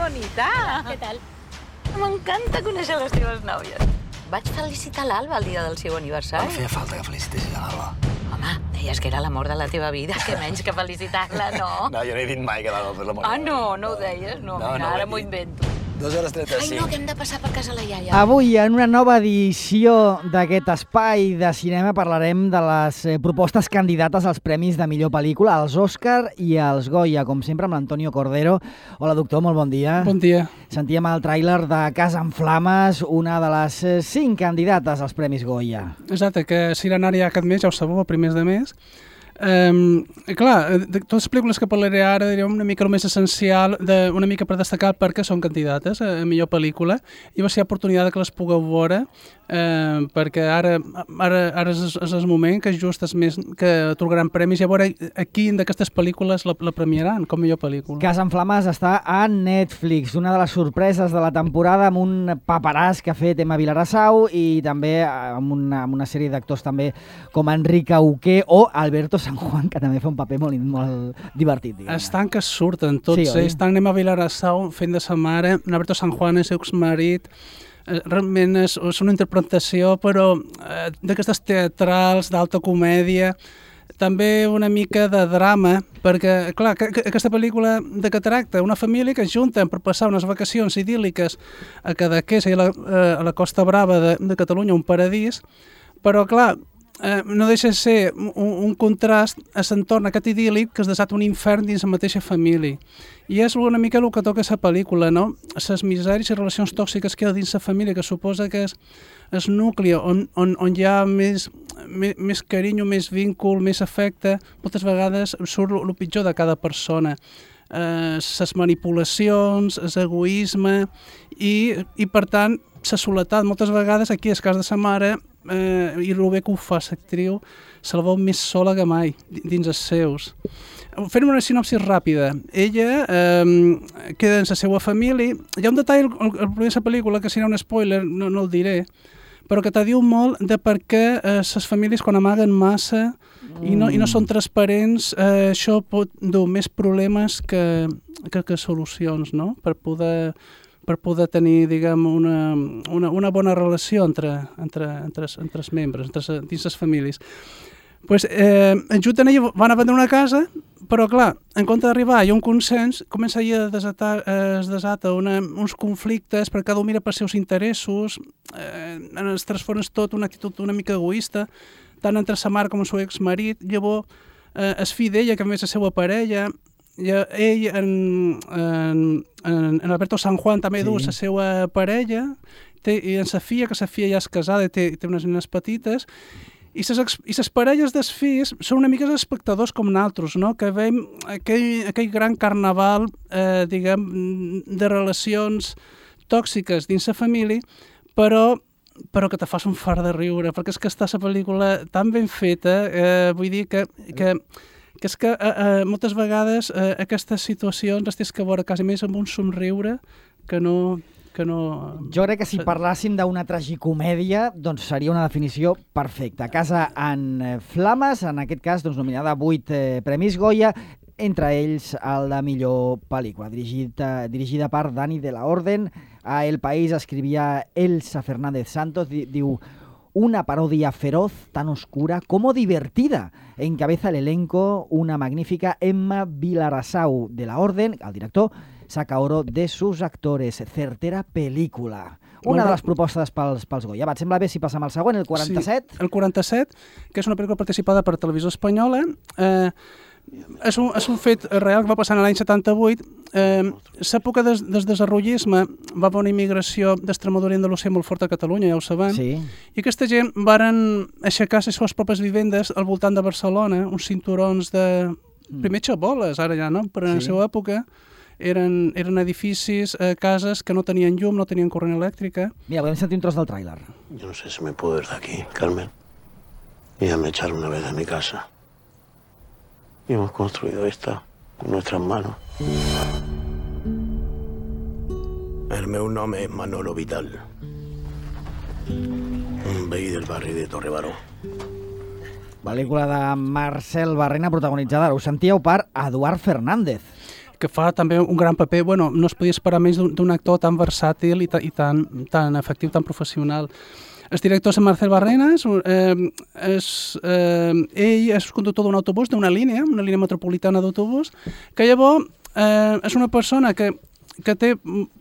bonita! Què tal? M'encanta conèixer les teves nòvies. Vaig felicitar l'Alba el dia del seu aniversari. No feia falta que felicitessis a l'Alba. Home, deies que era l'amor de la teva vida, que menys que felicitar-la, no? No, jo no he dit mai que l'Alba fes l'amor. Ah, no ho deies? No, mira, ara m'ho invento. 2:35. Ai, no, que hem de passar per casa la iaia. Avui, en una nova edició d'aquest espai de cinema, parlarem de les propostes candidates als premis de millor pel·lícula, als Òscar i als Goya, com sempre amb l'Antonio Cordero. Hola, doctor, molt bon dia. Bon dia. Sentíem el tràiler de Casa en Flames, una de les 5 candidates als premis Goya. Exacte, que s'irà anar ja aquest mes, ja ho sabeu, a primers de mes. Clar, de totes les pel·lícules que parlaré ara diré una mica el més essencial, una mica per destacar perquè són candidates a millor pel·lícula i va ser oportunitat que les pugueu veure perquè ara és el moment que just és més que atorgaran premis i a veure a quin d'aquestes pel·lícules la premiaran com millor pel·lícula. Casa en Flames està a Netflix, una de les sorpreses de la temporada amb un paperàs que ha fet Emma Vilarassau i també amb una sèrie d'actors també com Enric Auqué o Alberto San Juan, que també fa un paper molt divertit. Diguem. Estan que surten tots sí, ells, estan Emma Vilarassau fent de sa mare, Alberto San Juan és exmarit, realment és una interpretació però d'aquestes teatrals, d'alta comèdia, també una mica de drama, perquè, clar, aquesta pel·lícula de què tracta? Una família que es junten per passar unes vacacions idíl·liques a Cadaqués, a la Costa Brava de Catalunya, un paradís, però, clar, no deixa de ser un contrast a l'entorn aquest idíl·lic que es desata un infern dins la mateixa família. I és una mica el que toca la pel·lícula, no? Les misèries i relacions tòxiques que hi ha dins la família, que suposa que és el nucli on hi ha més carinyo, més víncul, més afecte, moltes vegades surt el pitjor de cada persona. Les manipulacions, l'egoisme i per tant, la soledat. Moltes vegades aquí, al cas de sa mare, i el bé que ho fa l'actriu, se la veu més sola que mai dins els seus. Fent una sinopsi ràpida. Ella queda en la seva família. Hi ha un detall al primer de la pel·lícula que serà un spoiler, no el diré, però que te diu molt de per què les famílies quan amaguen massa i no són transparents, això pot dur més problemes que solucions, no? Per poder tenir, diguem, una bona relació entre els membres, dins les famílies. Pues, en junten ella van a vendre una casa, però clar, en compte d'arribar hi ha un consens, comença es desata uns conflictes, perquè cada un mira pels seus interessos, es transforma tot una actitud una mica egoista, tant entre sa mare com el seu exmarit, llavors el fill d'ella, que a més és la seva parella, ell, en Alberto San Juan també du la seva parella, i en sa filla, que sa filla ja és casada i té unes nenes petites, i les parelles dels fills són una mica els espectadors com nosaltres, no? Que veiem aquell gran carnaval, diguem, de relacions tòxiques dins la família, però que te fas un fart de riure, perquè és que està la pel·lícula tan ben feta, vull dir que és que moltes vegades aquestes situacions les tens que veure quasi més amb un somriure que no... Jo crec que si parlàssim d'una tragicomèdia, doncs seria una definició perfecta. Casa en Flames, en aquest cas doncs, nominada a 8 Premis Goya, entre ells el de millor pel·lícula, dirigida per Dani de la Orden. A El País escrivia Elsa Fernández Santos, diu: una parodia feroz, tan oscura como divertida. Encabeza el elenco una magnífica Emma Vilarassau de la Orden, el director saca oro de sus actores. Certera pel·lícula. Una de les propostes pels Goya. Et sembla bé si passem al següent, el 47? Sí, el 47, que és una pel·lícula participada per Televisió Espanyola. És un fet real que va passar l'any 78. L'època del desenvolupisme va haver una immigració d'Extremadura i Andalusia molt forta a Catalunya, ja ho sabem. Sí. I aquesta gent varen aixecar les seves pròpies vivendes al voltant de Barcelona, uns cinturons de... Primer xaboles, ara ja, no? Però en la seva època eren edificis, cases que no tenien llum, no tenien corrent elèctrica. Mira, podem sentir un tros del tràiler. Yo no sé si me puedo ir de aquí, Carmen. Y ya me echaron una vez de mi casa. Y hemos construido esta con nuestras manos. El meu nom és Manolo Vital. Un veí del barri de Torrebaró. Pel·lícula de Marcel Barrena protagonitzada, ho sentíeu, per Eduard Fernández. que fa també un gran paper. Bueno, no es podia esperar més d'un actor tan versàtil i tan efectiu, tan professional. El director és Marcel Barrenas, ell és conductor d'un autobús, d'una línia metropolitana d'autobús, que llavors és una persona que té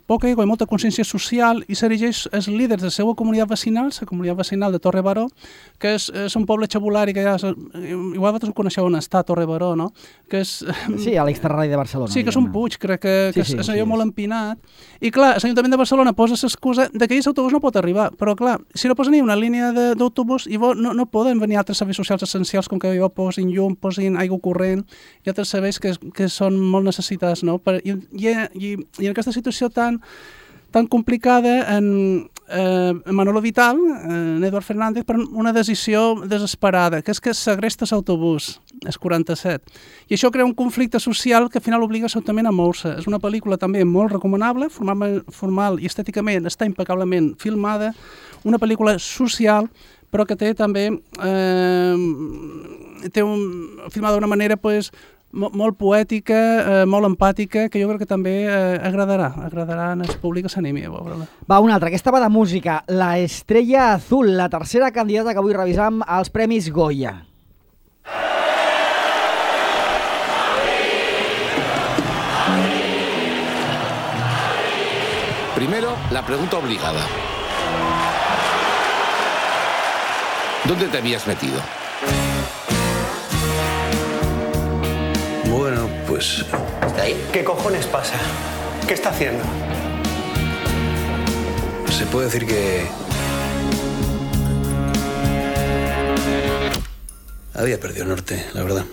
poca ego i molta consciència social i s'erigeix els líders de la seva comunitat vecinal, la comunitat vecinal de Torre Baró, que és un poble xabulari que igual vosaltres ho coneixeu on està, Torre Baró, no? Que és, sí, a l'extraradi de Barcelona. Sí, que és un puig, crec que és allò molt empinat. I clar, l'Ajuntament de Barcelona posa l'excusa que aquell autobús no pot arribar, però clar, si no posen ni una línia d'autobús, no poden venir altres serveis socials essencials com que posin llum, posin aigua corrent i altres serveis que són molt necessitats, no? I en aquesta situació tan complicada, en Manolo Vital, en Eduard Fernández, per una decisió desesperada, que és que segresta l'autobús, el 47. I això crea un conflicte social que al final obliga l'Ajuntament a moure-se. És una pel·lícula també molt recomanable, formal i estèticament està impecablement filmada, una pel·lícula social, però que té també filmada d'una manera molt poètica, molt empàtica, que jo crec que també agradarà en el públic que s'animi a veure-la. Va, una altra. Aquesta va de música. La Estrella Azul, la tercera candidata que avui revisam als Premis Goya. Primero, la pregunta obligada. ¿Dónde te habías metido? Bueno, pues... ¿Está ahí? ¿Qué cojones pasa? ¿Qué está haciendo? Se puede decir que... había perdido el norte, la verdad.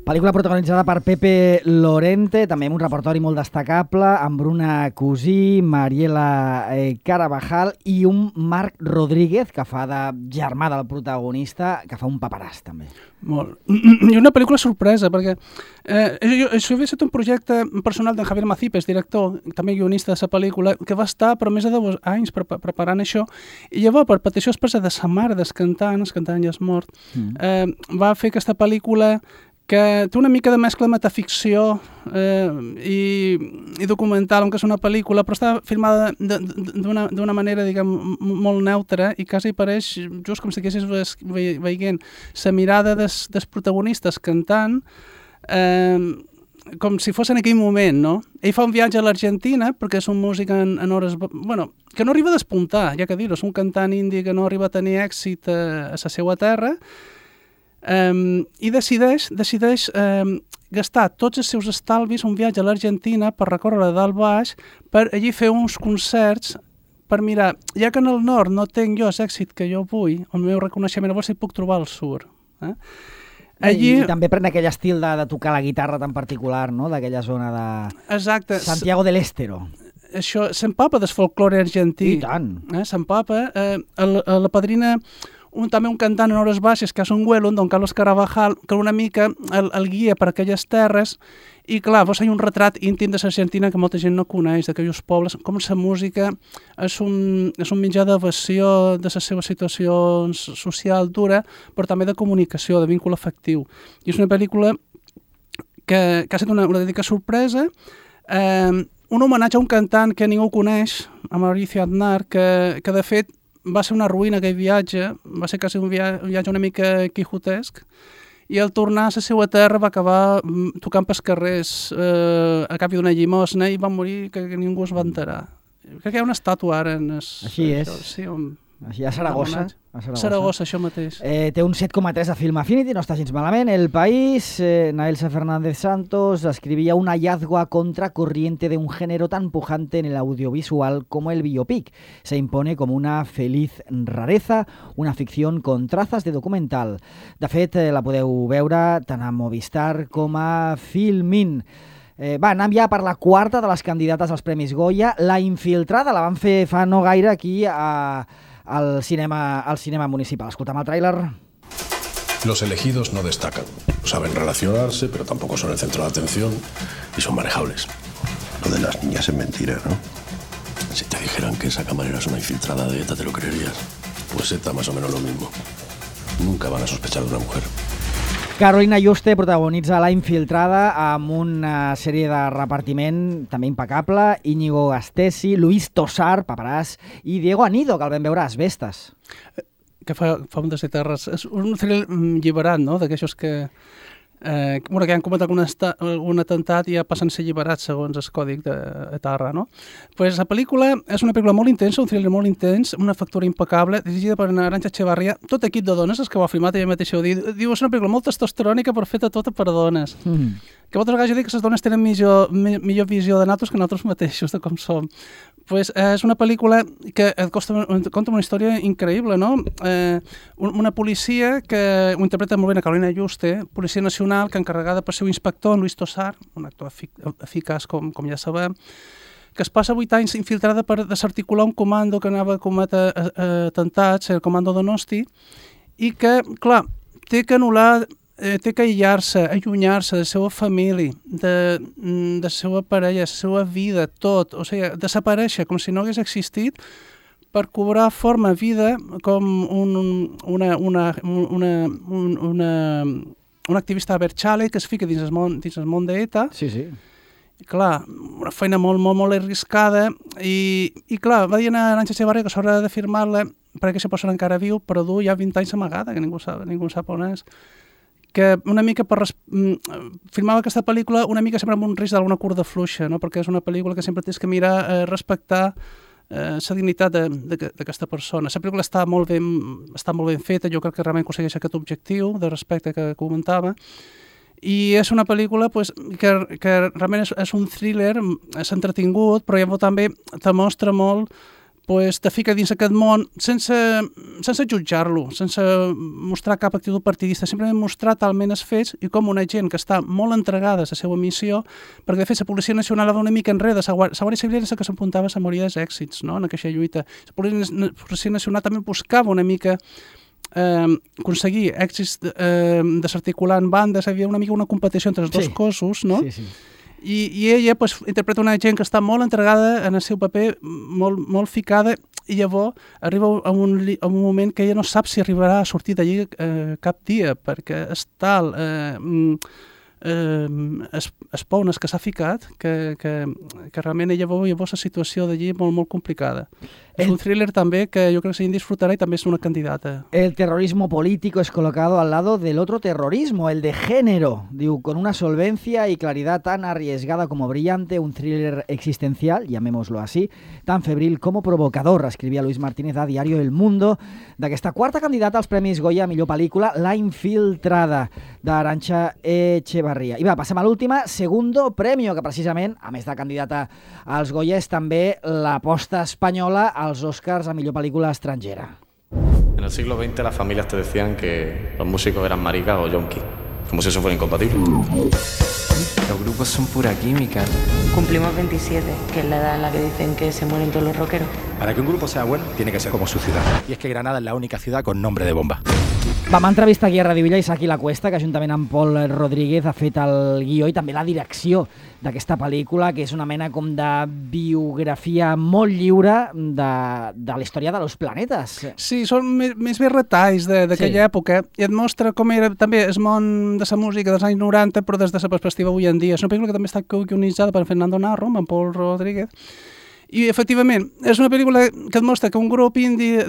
Pel·lícula protagonitzada per Pepe Lorente, també amb un repertori molt destacable, amb Bruna Cusí, Mariela Carabajal i un Marc Rodríguez, que fa de germà del protagonista, que fa un paperàs, també. Molt. I una pel·lícula sorpresa, perquè això havia estat un projecte personal d'en Javier Macipes, director, també guionista de la pel·lícula, que va estar per més de 2 anys preparant això, i llavors, per petició expressa de sa mare del cantant ja és mort, va fer aquesta pel·lícula que té una mica de mescla de metaficció i documental, que és una pel·lícula, però està filmada d'una manera, diguem, molt neutra i quasi pareix, just com si haguessis veient la mirada dels protagonistes cantant, com si fos en aquell moment, no? Ell fa un viatge a l'Argentina, perquè és un músic en hores... Bueno, que no arriba a despuntar, ja que dir-ho, és un cantant indi que no arriba a tenir èxit a la seva terra, i decideix gastar tots els seus estalvis un viatge a l'Argentina per recórrer de dalt baix, per allí fer uns concerts, per mirar, ja que en el nord no tenc jo l'èxit que jo vull, el meu reconeixement, llavors si puc trobar al sud. Allí... I també pren aquell estil de tocar la guitarra tan particular, no?, d'aquella zona de... Exacte. Santiago del Estero. Això s'empapa del folklore argentí. I tant. S'empapa. La padrina... també un cantant en hores baixes, que és un Güelund, don Carlos Carabajal, que una mica el guia per aquelles terres, i clar, vos hi ha un retrat íntim de l'Argentina que molta gent no coneix, d'aquells pobles, com la música és un mitjà d'evasió de les seves situacions social dura, però també de comunicació, de víncle afectiu. I és una pel·lícula que ha estat una autèntica sorpresa, un homenatge a un cantant que ningú coneix, a Mauricio Aznar, que de fet va ser una ruïna aquell viatge, va ser quasi un viatge una mica quijotesc, i al tornar a la seva terra va acabar tocant pels carrers a canvi d'una llimosna i va morir que ningú es va enterar. Crec que hi ha una estàtua ara en... Així és. Sí, així a Saragossa. Saragossa, això mateix. Té un 7,3 a Film Affinity, no està gens malament. El País, Naelsa Fernández Santos escribía un hallazgo a contracorriente de un género tan pujante en el audiovisual como el biopic. Se impone como una feliz rareza, una ficción con trazas de documental. De fet, la podeu veure tant a Movistar com a Filmin. Anem ja per la quarta de les candidates als Premis Goya. La Infiltrada la van fer fa no gaire aquí al cinema municipal. Escoltam el tràiler. Los elegidos no destacan. Saben relacionarse, pero tampoco son el centro de atención y son manejables. Lo de las niñas es mentira, ¿no? Si te dijeran que esa camarera es una infiltrada de ETA, ¿te lo creerías? Pues ETA más o menos lo mismo. Nunca van a sospechar de una mujer. Carolina Juste protagonitza La infiltrada amb una sèrie de repartiment també impecable. Íñigo Gastesi, Luis Tosar, paperàs, i Diego Anido, que el vam veure a Asbestas. Que fa ondes de terres. És un thriller alliberat, no?, d'aquestos que que han cometit algun atemptat i ja passen a ser alliberats segons el còdic de terra, no? Pues la pel·lícula és una pel·lícula molt intensa, un thriller molt intens, una factura impecable, dirigida per Arantxa Echevarría, tot equip de dones, és que ho ha filmat ella mateixa ho diu, és una pel·lícula molt testosterònica però feta tota per dones. Que moltes vegades jo dic que les dones tenen millor visió de nosaltres que nosaltres mateixos, de com som. Pues és una pel·lícula que conta una història increïble, no? Una policia que ho interpreta molt bé a Carolina Juste, policia nacional, que encarregada per seu inspector, Luis Tosar, un actor eficaç, com ja sabem, que es passa 8 anys infiltrada per desarticular un comando que anava a cometre atemptats, el comando Donosti, i que, clar, té que anul·lar, té que aïllar-se, allunyar-se de la seva família, de la seva parella, de la seva vida, tot, o sigui, desaparèixer com si no hagués existit per cobrar forma, vida, com un activista Berchale que es fica dins el món d'ETA. Sí, sí. Clar, una feina molt arriscada i clar, va dir a Arantxa Echevarría que s'haurà de firmar-la perquè aquesta persona encara viu, però du ja 20 anys amagada, que ningú sap on és. Que una mica filmava aquesta pel·lícula una mica sempre amb un risc d'alguna curda fluixa, no? Perquè és una pel·lícula que sempre tens que mirar, respectar la dignitat d'aquesta persona. La pel·lícula està molt ben feta, jo crec que realment aconsegueix aquest objectiu de respecte que comentava, i és una pel·lícula que realment és un thriller, és entretingut, però llavors també te mostra molt, te fica dins aquest món sense jutjar-lo, sense mostrar cap actitud partidista, simplement mostrar talment els fets i com una gent que està molt entregada a la seva missió, perquè de fet la Policia Nacional va una mica enrere, la Guàrdia Civil era la que s'apuntava a la majoria dels èxits, no?, en aquesta lluita. La Policia Nacional també buscava una mica aconseguir èxits desarticulant bandes, hi havia una mica una competició entre els dos cossos, no? Sí, sí. I ella interpreta una gent que està molt entregada en el seu paper, molt ficada, i llavors arriba a un moment que ella no sap si arribarà a sortir d'allí cap dia, perquè és tal espounes que s'ha ficat que realment ella veu llavors la situació d'allí molt complicada. És un thriller també que jo crec que se disfrutarà i també és una candidata. El terrorismo político es colocado al lado del otro terrorismo, el de género. Diu, con una solvencia y claridad tan arriesgada como brillante, un thriller existencial, llamémoslo así, tan febril como provocador, escrivia Luis Martínez a Diario El Mundo, d'aquesta quarta candidata als Premis Goya a millor pel·lícula, La infiltrada, d'Arantxa Echevarría. I va, passem a l'última, Segundo Premio, que precisament, a més de candidata als Goya, és també l'aposta espanyola als Oscars a millor pel·lícula estrangera. En el siglo XX las familias te decían que los músicos eran maricas o yonkis, como si eso fuera incompatible. Los grupos son pura química. Cumplimos 27, que es la edad en la que dicen que se mueren todos los rockeros. Para que un grupo sea bueno, tiene que ser como su ciudad. Y es que Granada es la única ciudad con nombre de bomba. Vam entrevistar aquí a Radio Villa Isaki La Cuesta, que juntament amb Pol Rodríguez ha fet el guió i també la direcció d'aquesta pel·lícula, que és una mena com de biografia molt lliure de la història de los planetes. Sí, són més bé retalls d'aquella època i et mostra com era també el món de la música dels anys 90, però des de la perspectiva avui en dia. És una pel·lícula que també està guionitzada per Fernando Narro, amb Pol Rodríguez, i, efectivament, és una pel·lícula que et mostra que un grup indie,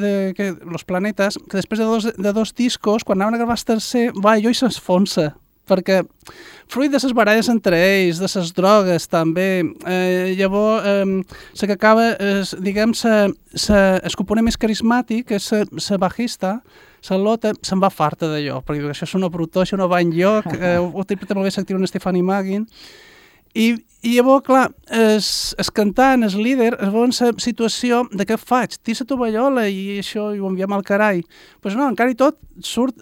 Los Planetes, que després de dos discos, quan anaven a gravar el tercer, va allò i s'esfonsa, perquè fruit de les baralles entre ells, de les drogues també, llavors la que acaba, diguem, el component més carismàtic, és la bajista, la Lotte, se'n va farta d'allò, perquè això és una brutó, això no va enlloc, ho interpreta molt bé l'actriu Stephanie Magin. I llavors, clar, el cantant, el líder, es veu en la situació de què faig? Tira la tovallola i això ho enviem al carai. Doncs no, encara i tot,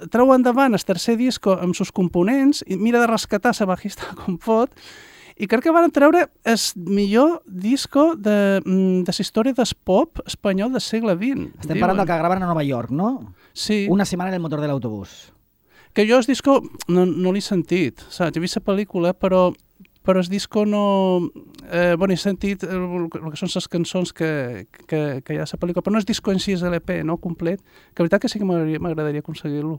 treu endavant el tercer disco amb els components i mira de rescatar la bajista com pot. I crec que van treure el millor disco de la història del pop espanyol del segle XX. Estem parlant del que graven a Nova York, no? Sí. Una setmana en el motor de l'autobús. Que jo el disco no l'he sentit, saps? He vist la pel·lícula, però el disco no... he sentit el que són les cançons que hi ha a la pel·lícula, però no és disco en si, és l'EP, no? Complet. Que la veritat que sí que m'agradaria aconseguir-lo.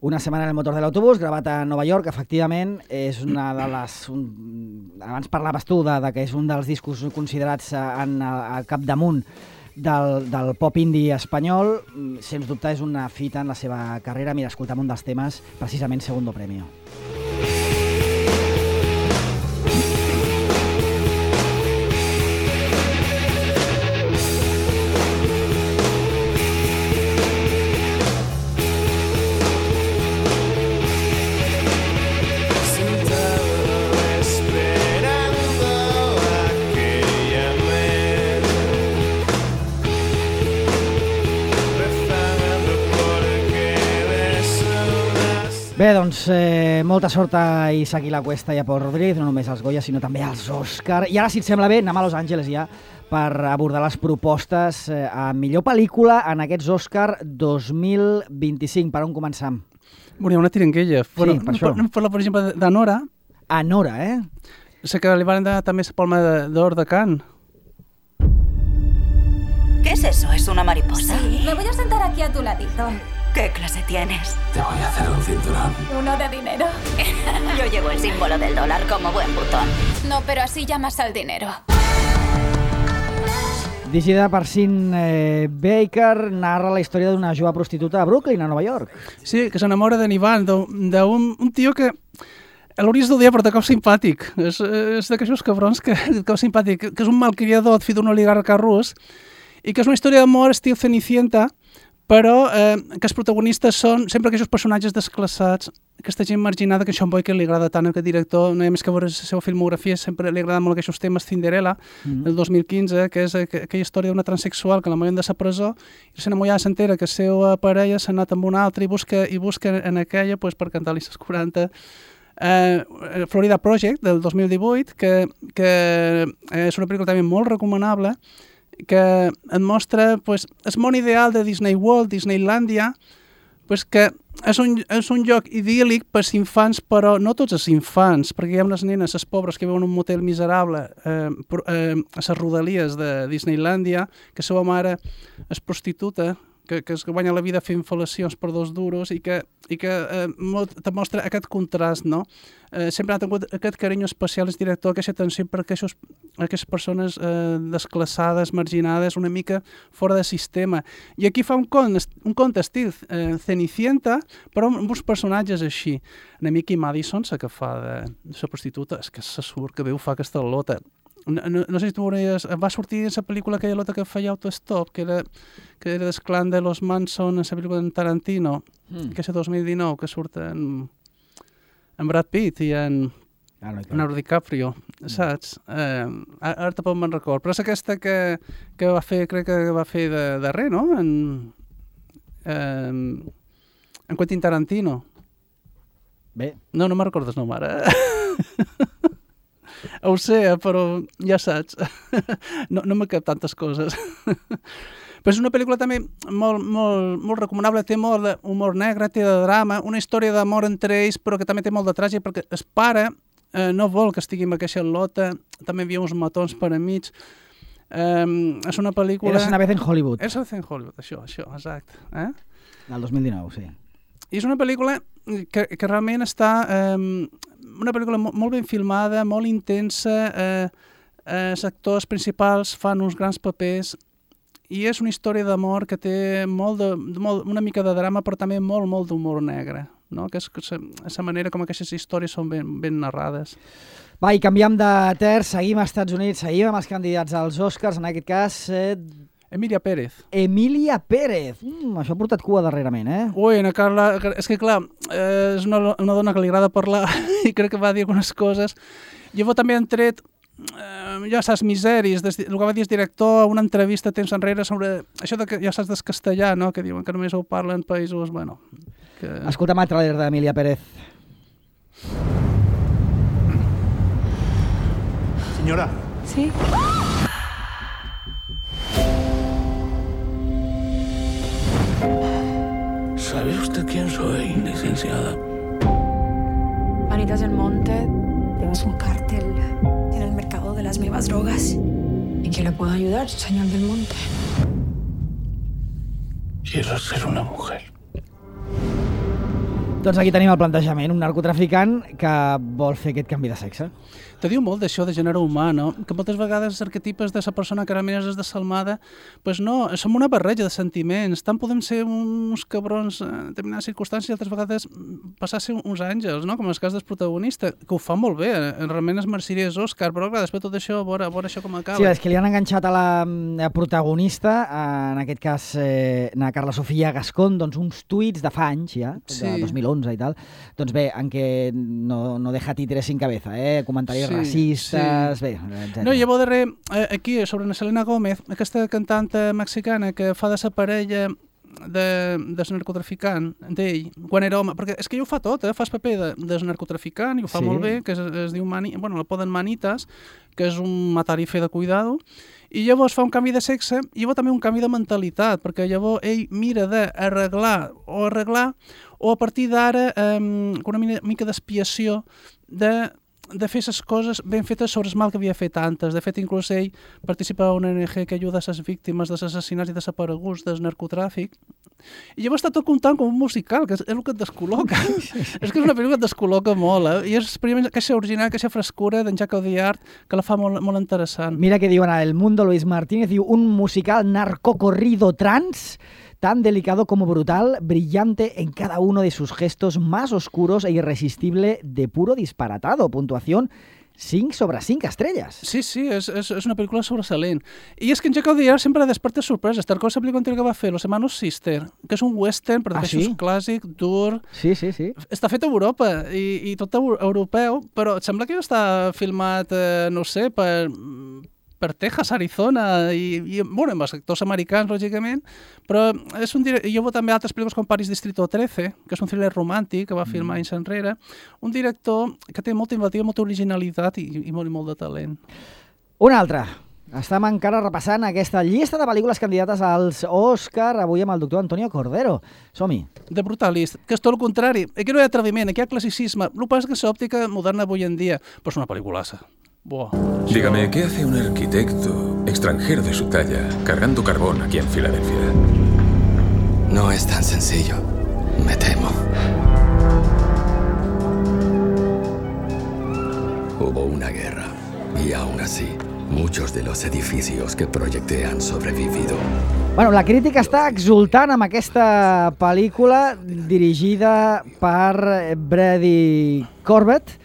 Una setmana en el motor de l'autobús, gravat a Nova York, efectivament, és una de les... Abans parlaves tu de que és un dels discos considerats al capdamunt del pop indie espanyol. Sens dubte és una fita en la seva carrera. Mira, escoltam un dels temes, precisament Segundo Premio. Bé, doncs, molta sort a Isaac i la Cuesta i a Pol Rodríguez, no només als Goya, sinó també als Òscar. I ara, si et sembla bé, anem a Los Angeles ja per abordar les propostes a millor pel·lícula en aquests Òscar 2025. Per on començam? Bueno, hi ha una tirenguella. Sí, per això. Anem a parlar, per exemple, d'Anora. Anora, Sé que li van dar també la Palma d'Or de Cannes. ¿Qué es eso? ¿Es una mariposa? Sí, me voy a sentar aquí a tu ladito. ¿Qué clase tienes? Te voy a hacer un cinturón. Uno de dinero. Yo llevo el símbolo del dólar como buen botón. No, pero así llamas al dinero. Dirigida per Sin Baker, narra la història d'una jove prostituta a Brooklyn, a Nova York. Sí, que s'enamora d'en Ivan, d'un tio que l'hauries d'odiar, però de cop simpàtic. És d'aquells cabrons que de cop simpàtic, que és un malcriador, fill d'un oligarca rus, i que és una història d'amor estil Cenicienta, però que els protagonistes són sempre aquells personatges desclassats, aquesta gent marginada que a Sean Boyke li agrada tant, aquest director, no hi ha més que veure la seva filmografia, sempre li agrada molt aquests temes. Cinderella, del 2015, que és aquella història d'una transexual que la moren de la presó, i la mollada s'entera que la seva parella s'ha anat amb una altra i busca en aquella per cantar-li les 40. Florida Project, del 2018, que és una pel·lícula també molt recomanable, que et mostra el món ideal de Disney World, Disneylandia, que és un lloc idíl·lic per als infants, però no tots els infants, perquè hi ha unes nenes, les pobres, que viuen en un motel miserable a les rodalies de Disneylandia, que la seva mare és prostituta, que es guanya la vida fent fel·lacions per 2 duros i que te mostra aquest contrast, no? Sempre ha tingut aquest carinyo especial el director, aquesta atenció per aquestes persones desclassades, marginades, una mica fora de sistema. I aquí fa un conte estil Cenicienta, però amb uns personatges així. En Mickey Madison, la que fa de la prostituta, és que se surt, que bé ho fa aquesta lota. No sé si tu veuries... Va sortir en la pel·lícula aquella lota que feia Autostop, que era del clan de los Manson, en la pel·lícula de Tarantino, que és el 2019, que surt en Brad Pitt i en Leonardo DiCaprio, saps? Ara tampoc me'n record, però és aquesta que va fer, crec que va fer de res, no? En Quentin Tarantino. Bé. No me'n recordo el nom ara. Ho sé, però ja saps, no m'ha cap tantes coses. Però és una pel·lícula també molt recomanable, té molt d'humor negre, té de drama, una història d'amor entre ells, però que també té molt de tràgic, perquè el pare no vol que estigui amb aquesta lota, també hi havia uns matons per enmig. És una pel·lícula... Eres una vez en Hollywood. Eres una vez en Hollywood, això, exacte. El 2019, sí. I és una pel·lícula que realment està... una pel·lícula molt ben filmada, molt intensa, els actors principals fan uns grans papers i és una història d'amor que té una mica de drama, però també molt d'humor negre, no? Que és la manera com aquestes històries són ben narrades. Va, i canviem de terç, seguim als Estats Units, seguim amb els candidats als Oscars, en aquest cas... Emilia Pérez. Emilia Pérez. Això ha portat cua darrerament, Ui, Ana Carla, és que clar, és una dona que li agrada parlar i crec que va dir algunes coses. Jo també han tret, ja saps, misèries, el que va dir el director a una entrevista temps enrere sobre això que ja saps del castellà, no? Que diuen que només ho parlen països, bueno... Escolta'm el tràiler d'Emilia Pérez. Señora. Sí. ¿Sabe usted quién soy, licenciada? Vanitas del Monte, tenemos un cártel en el mercado de las nuevas drogas. ¿Y quién le puede ayudar, señor del Monte? Quiero ser una mujer. Doncs aquí tenim el plantejament, un narcotraficant que vol fer aquest canvi de sexe. Te diu molt d'això de gènere humà, no? Que moltes vegades els arquetipes de la persona que realment és desalmada, pues no, som una barreja de sentiments. Tant podem ser uns cabrons en determinades circumstàncies i altres vegades passar a ser uns àngels, no? Com el cas del protagonista, que ho fa molt bé, realment es mereixeria Òscar, però clar, després tot això, a veure això com acaba. Sí, és que li han enganxat a la protagonista, en aquest cas a Carla Sofia Gascón, doncs uns tuits de fa anys ja, de 2011 i tal, doncs bé, en què no deja títeres sin cabeza, comentaris racistes, bé, etc. No, llavors darrer, aquí, sobre la Selena Gómez, aquesta cantant mexicana que fa de sa parella del narcotraficant d'ell, quan era home, perquè és que ell ho fa tot, fa el paper del narcotraficant i ho fa molt bé, que es diu, la poden Manitas, que és un matar i fer de cuidado, i llavors fa un canvi de sexe i llavors també un canvi de mentalitat, perquè llavors ell mira d'arreglar o a partir d'ara una mica d'expiació de fer les coses ben fetes sobre el mal que havia fet antes. De fet, inclús ell participa a una ONG que ajuda a les víctimes dels assassinats i desapareguts del narcotràfic. I llavors està tot comptant com un musical, que és el que et descol·loca. És que és una pel·lícula que et descol·loca molt, I és primer aquesta original, aquesta frescura d'en Jacques Audiard, que la fa molt interessant. Mira que diuen a El Mundo, Luis Martínez, diu un musical narcocorrido trans tan delicado como brutal, brillante en cada uno de sus gestos más oscuros e irresistible de puro disparatado. Puntuación 5 sobre 5 estrelles. Sí, és una pel·lícula sobressalent. I és que en Jacques Audiard sempre desperta sorpreses. Tal com la pel·lícula anterior que va fer, Los Hermanos Sister, que és un western, però és un clàssic, dur... Sí. Està fet a Europa i tot europeu, però et sembla que ja està filmat, no sé, per Texas, Arizona, i bueno, amb els actors americans, lògicament, però és jo veu també altres pel·lícules com Paris Distrito 13, que és un thriller romàntic que va filmar anys enrere, un director que té molta inventiva, molta originalitat i molt de talent. Un altre. Estem encara repassant aquesta llista de pel·lícules candidates als Òscar, avui amb el doctor Antonio Cordero. Som-hi. The Brutalist, que és tot el contrari. Aquí no hi ha atreviment, aquí hi ha classicisme. El que passa és que és òptica moderna avui en dia, però és una pel·lículassa. Dígame, ¿qué hace un arquitecto extranjero de su talla cargando carbón aquí en Filadelfia? No es tan sencillo, me temo. Hubo una guerra y aún así, muchos de los edificios que proyecté han sobrevivido. Bueno, la crítica està exultant amb aquesta pel·lícula dirigida per Brady Corbett,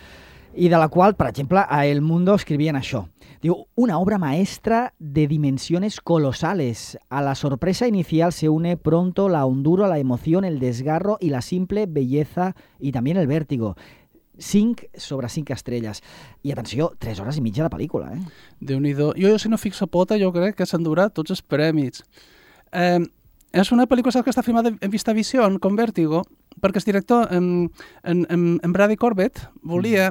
y de la cual, por ejemplo, a El Mundo escribían això. Diu, una obra maestra de dimensiones colosales. A la sorpresa inicial se une pronto la hondura, la emoción, el desgarro y la simple belleza y también el vértigo. 5 sobre 5 estrelles. I atenció, 3 hores i mitja de pel·lícula, Déu-n'hi-do. Jo, si no fixa pota, jo crec que s'endurà tots els premis. És una pel·lícula que està filmada en VistaVision, com Vértigo, perquè el director, en Brady Corbett, volia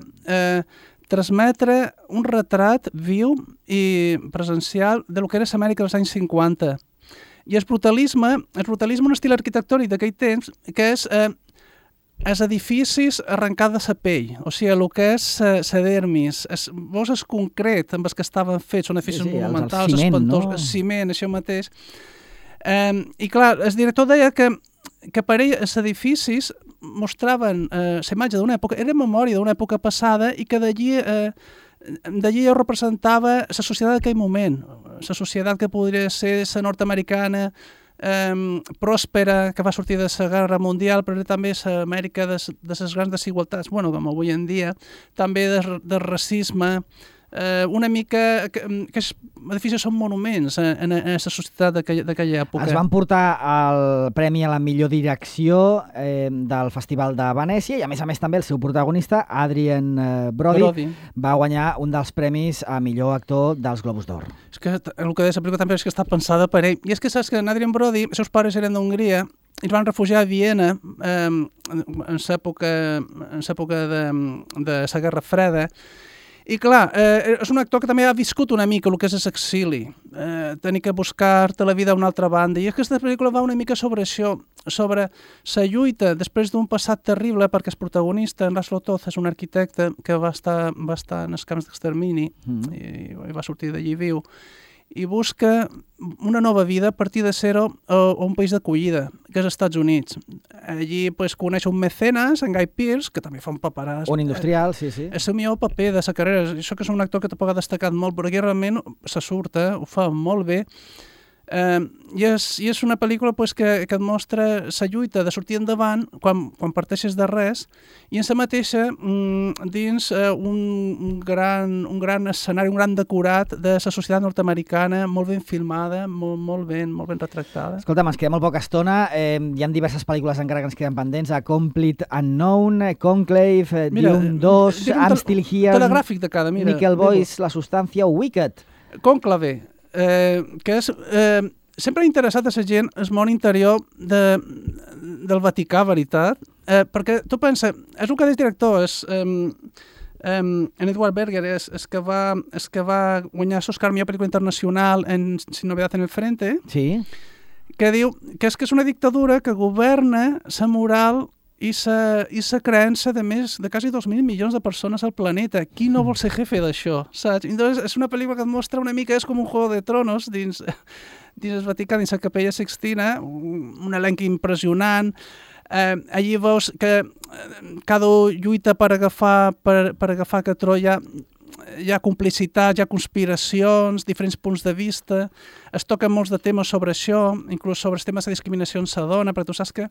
transmetre un retrat viu i presencial de lo que era l'Amèrica dels anys 50. I el brutalisme un estil arquitectònic d'aquell temps, que és els edificis arrencats de la pell, o sigui, el que és la dermis, veus el concret amb els que estaven fets, són edificis monumentals, el ciment, espantós, el ciment, això mateix. I clar, el director deia que per ell els edificis mostraven la imatge d'una època, era memòria d'una època passada i que d'allí representava la societat d'aquell moment, la societat que podria ser la nord-americana, pròspera, que va sortir de la Guerra Mundial, però també l'Amèrica de les grans desigualtats, bueno, com avui en dia, també del racisme, una mica que els edificis són monuments en la societat d'aquella època. Es van portar el premi a la millor direcció del Festival de Venècia i a més també el seu protagonista, Adrien Brody, va guanyar un dels premis a millor actor dels Globus d'Or. És que el que deia la pel·lícula també és que està pensada per ell. I és que saps que Adrien Brody, els seus pares eren d'Hongria i es van refugiar a Viena en l'època de la Guerra Freda. I clar, és un actor que també ha viscut una mica el que és l'exili, tenir que buscar-te la vida a una altra banda, i aquesta pel·lícula va una mica sobre això, sobre la lluita després d'un passat terrible, perquè el protagonista, en Laszlo Toth, és un arquitecte que va estar en els camps d'extermini i va sortir d'allí viu, i busca una nova vida a partir de zero a un país d'acollida, que és als Estats Units. Allí coneix un mecenes, en Guy Pearce, que també fa un paperàs. Un industrial, sí. És el millor paper de sa carrera. Això que és un actor que tampoc ha destacat molt, però aquí realment se surt, ho fa molt bé. I és una pel·lícula que et mostra la lluita de sortir endavant quan parteixes de res i en sa mateixa dins un gran escenari, un gran decorat de la societat nord-americana, molt ben filmada, molt ben retractada. Escolta'm, ens queda molt poca estona. Hi ha diverses pel·lícules encara que ens queden pendents. A Complete Unknown, Conclave, Dune 2, I'm Still Here, telegràfic de cada, mira. Nickel Boys, La Substància, Wicked. Conclave, que és... sempre ha interessat a la gent el món interior del Vaticà, veritat? Perquè tu pensa, és el que és director, en Edward Berger, és que va guanyar l'Oscar millor pel·lícula internacional en Sin novedad en el frente, sí, que diu que és una dictadura que governa la moral i la creença de més de quasi 2.000 milions de persones al planeta. Qui no vol ser jefe d'això, saps? Entonces, és una pel·lícula que et mostra una mica, és com un Juego de Tronos dins el Vaticà, dins la Capella Sixtina, un elenc impressionant. Allí veus que cada lluita per agafar que Troia hi ha complicitat, hi ha conspiracions, diferents punts de vista, es toquen molts de temes sobre això, inclús sobre els temes de discriminació en sa dona, perquè tu saps que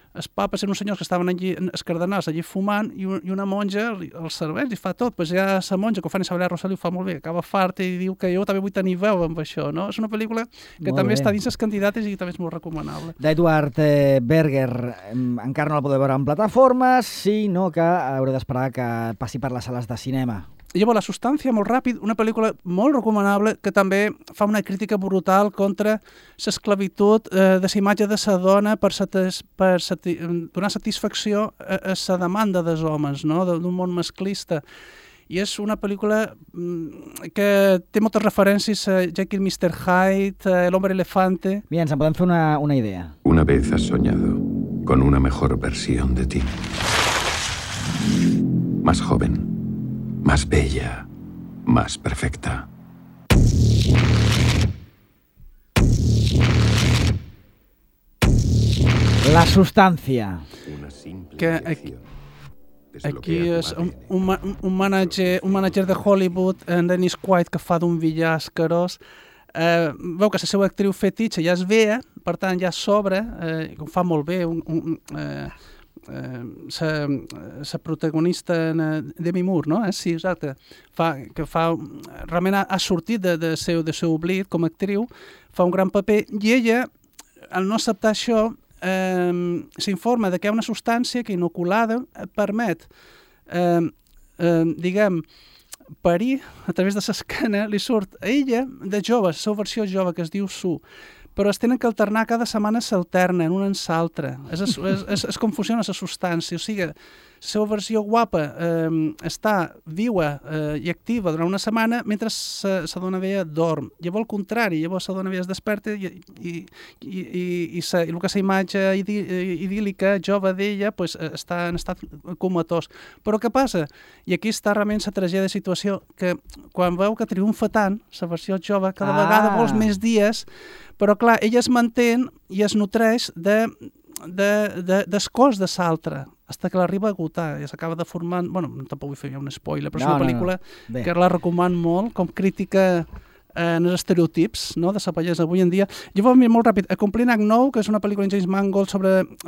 els papes eren uns senyors que estaven allí, els cardenals, allí fumant, i una monja els serveix i fa tot. Pues ja la monja, que ho fa Isabel Rosselló, ho fa molt bé, acaba farta i diu que jo també vull tenir veu amb això, no? És una pel·lícula que també està dins les candidates i també és molt recomanable. D'Edward Berger encara no la podeu veure en plataformes, sinó que haureu d'esperar que passi per les sales de cinema. Llavors, La Substància, molt ràpid, una pel·lícula molt recomanable que també fa una crítica brutal contra l'esclavitud de la imatge de la dona per donar satisfacció a la demanda dels homes, no? D'un món masclista. I és una pel·lícula que té moltes referències a Jekyll, Mr. Hyde, El hombre elefante... Bien, ens en podem fer una idea. Una vez has soñado con una mejor versión de ti. Más joven. Más bella, más perfecta. La Substància. Que aquí és un manager de Hollywood, en Dennis Quaid, que fa d'un villà escarós. Veu que la seva actriu fetitxa ja és vea, per tant ja sobra, ho fa molt bé, la protagonista Demi Moore, no? Sí, exacte. Realment ha sortit de seu oblit com a actriu, fa un gran paper, i ella, al no acceptar això, s'informa que hi ha una substància que inoculada permet, diguem, parir a través de l'esquena, li surt a ella de jove, la seva versió jove, que es diu Sue, però es tenen que alternar cada setmana, s'alternen una en l'altra. És com funciona la substància. O sigui, la seva versió guapa està viua i activa durant una setmana mentre la dona vella dorm. Llavors, al contrari, llavors la dona vella es desperta i el que és la imatge idíl·lica, jove d'ella, està en estat comatós. Però què passa? I aquí està realment la tragèdia de situació, que quan veu que triomfa tant, la versió jove, cada vegada vols més dies, però clar, ella es manté i es nutreix del cos de l'altre, fins que l'arriba a agotar i s'acaba de formar... Bueno, tampoc vull fer un spoiler, però és una pel·lícula que la recomano molt, com crítica en els estereotips, no?, de la bellesa avui en dia. Llavors, molt ràpid, A Complete Unknown, que és una pel·lícula de James Mangold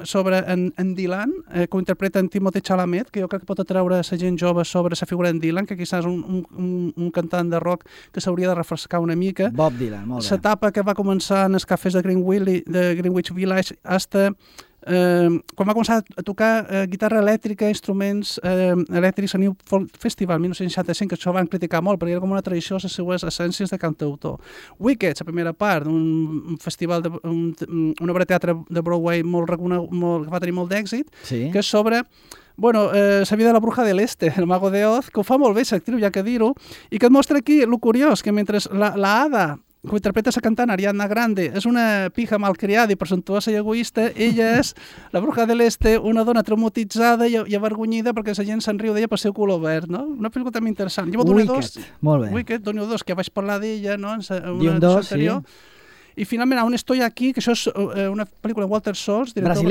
sobre en Dylan, que ho interpreta en Timothée Chalamet, que jo crec que pot atreure la gent jove sobre la figura d'en Dylan, que quizás un cantant de rock que s'hauria de refrescar una mica. Bob Dylan, molt bé. L'etapa que va començar en els cafès de Greenwich Village hasta quan va començar a tocar guitarra elèctrica, instruments elèctrics a New Folk Festival 1965, que això van criticar molt perquè era com una tradició a les seues essències de cantautor. Wicked, la primera part d'un festival, una obra de teatre de Broadway molt reconegut, que va tenir molt d'èxit, que és sobre la vida de la bruja de l'Este, el mago de Oz, que ho fa molt bé l'actriu, ja que dir-ho, i que et mostra aquí el curiós, que mentre la hada que interpreta la cantant Ariana Grande, és una pija malcriada i presumptuosa i egoista. Ella és la bruja de l'Este, una dona traumatitzada i avergonyida perquè la gent se'n riu d'ella pel seu color verd, no? Una pel·lícula també interessant. Wicked, molt bé. Wicked, Donio 2, que vaig parlar d'ella, no? En una edició anterior. Sí. I finalment, On estoy aquí, que això és una pel·lícula de Walter Salles, director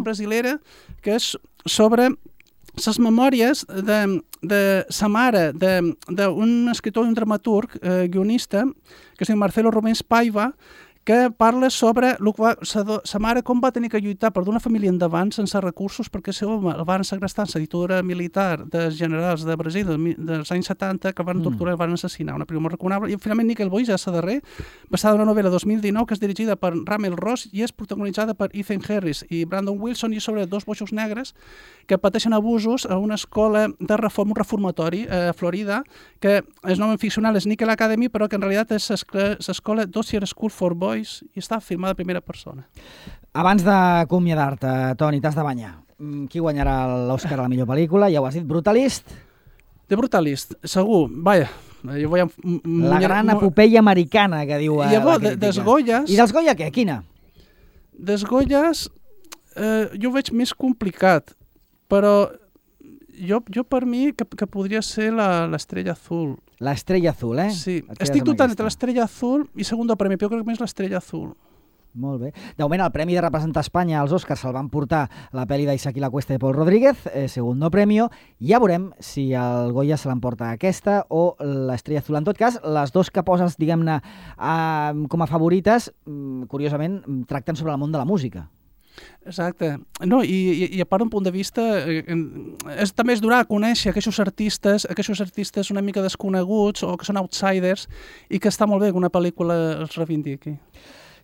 brasilera, que és sobre les memòries de sa mare, d'un escriptor i un dramaturg, guionista, que es diu Marcelo Rubens Paiva, que parla sobre sa mare com va tenir que lluitar per d'una família endavant sense recursos perquè el van segrestar en la dictadura militar dels generals de Brasil dels anys 70 que van torturar i van assassinar. Una pel·lícula molt recomanable. I finalment Nickel Boys, ja la darrer, basada en una novel·la 2019 que és dirigida per Ramel Ross i és protagonitzada per Ethan Harris i Brandon Wilson i sobre dos boixos negres que pateixen abusos a una escola de reforma, un reformatori a Florida, que el nom ficcional és Nickel Academy, però que en realitat és l'escola Dossier School for Boys i està filmada en primera persona. Abans d'acomiadar-te, Toni, t'has de banyar. Qui guanyarà l'Òscar a la millor pel·lícula? Ja ho has dit, Brutalist? The Brutalist, segur. Vaja, jo voy a... La gran epopeia americana, que diu la crítica. Dels Goyas... I dels Goya què? Quina? Dels Goyas jo ho veig més complicat, però jo per mi que podria ser l'Estrella Azul. L'Estrella Azul, eh? Sí, estic dubtant entre l'Estrella Azul i Segundo Premi, però jo crec que més l'Estrella Azul. Molt bé. De moment, el Premi de representar Espanya als Oscars se'l van portar la pel·li d'Isaac i la Cuesta de Paul Rodríguez, Segundo Premio. Ja veurem si el Goya se l'emporta aquesta o l'Estrella Azul. En tot cas, les dos que poses, diguem-ne, com a favorites, curiosament, tracten sobre el món de la música. Exacte. No, i a part d'un punt de vista també és donar a conèixer aquells artistes una mica desconeguts o que són outsiders i que està molt bé que una pel·lícula els reivindiqui.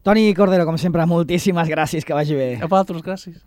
Toni Cordero, com sempre, moltíssimes gràcies, que vagi bé. A vosaltres, gràcies.